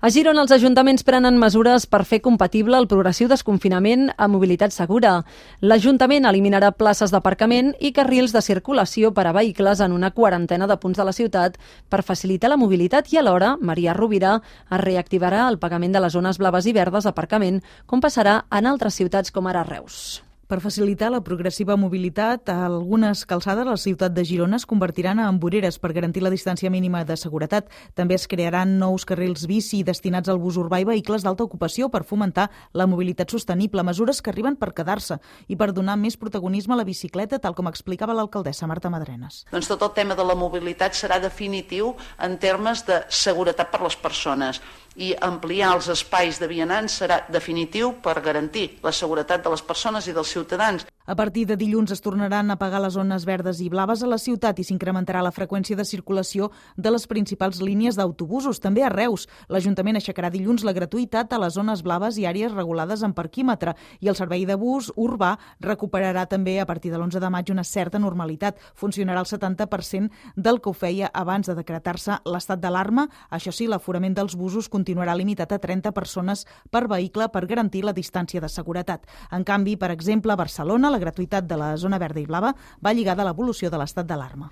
A Girona, els ajuntaments prenen mesures per fer compatible el progressiu desconfinament amb mobilitat segura. L'Ajuntament eliminarà places d'aparcament i carrils de circulació per a vehicles en una quarantena de punts de la ciutat per facilitar la mobilitat i alhora, Maria Rovira, es reactivarà el pagament de les zones blaves i verdes d'aparcament, com passarà en altres ciutats com ara Reus. Per facilitar la progressiva mobilitat, algunes calçades a la ciutat de Girona es convertiran en voreres per garantir la distància mínima de seguretat. També es crearan nous carrils bici destinats al bus urbà i vehicles d'alta ocupació per fomentar la mobilitat sostenible, mesures que arriben per quedar-se i per donar més protagonisme a la bicicleta, tal com explicava l'alcaldessa Marta Madrenes. Doncs tot el tema de la mobilitat serà definitiu en termes de seguretat per les persones i ampliar els espais de vianants serà definitiu per garantir la seguretat de les persones i dels ciutadans. A partir de dilluns es tornaran a pagar les zones verdes i blaves a la ciutat i s'incrementarà la freqüència de circulació de les principals línies d'autobusos. També a Reus, l'Ajuntament aixecarà dilluns la gratuïtat a les zones blaves i àrees regulades en parquímetre i el servei de bus urbà recuperarà també a partir de l'11 de maig una certa normalitat. Funcionarà el 70% del que ho feia abans de decretar-se l'estat d'alarma. Això sí, l'aforament dels busos continuarà limitat a 30 persones per vehicle per garantir la distància de seguretat. En canvi, per exemple, a Barcelona, la gratuïtat de la zona verda i blava va lligada a l'evolució de l'estat d'alarma.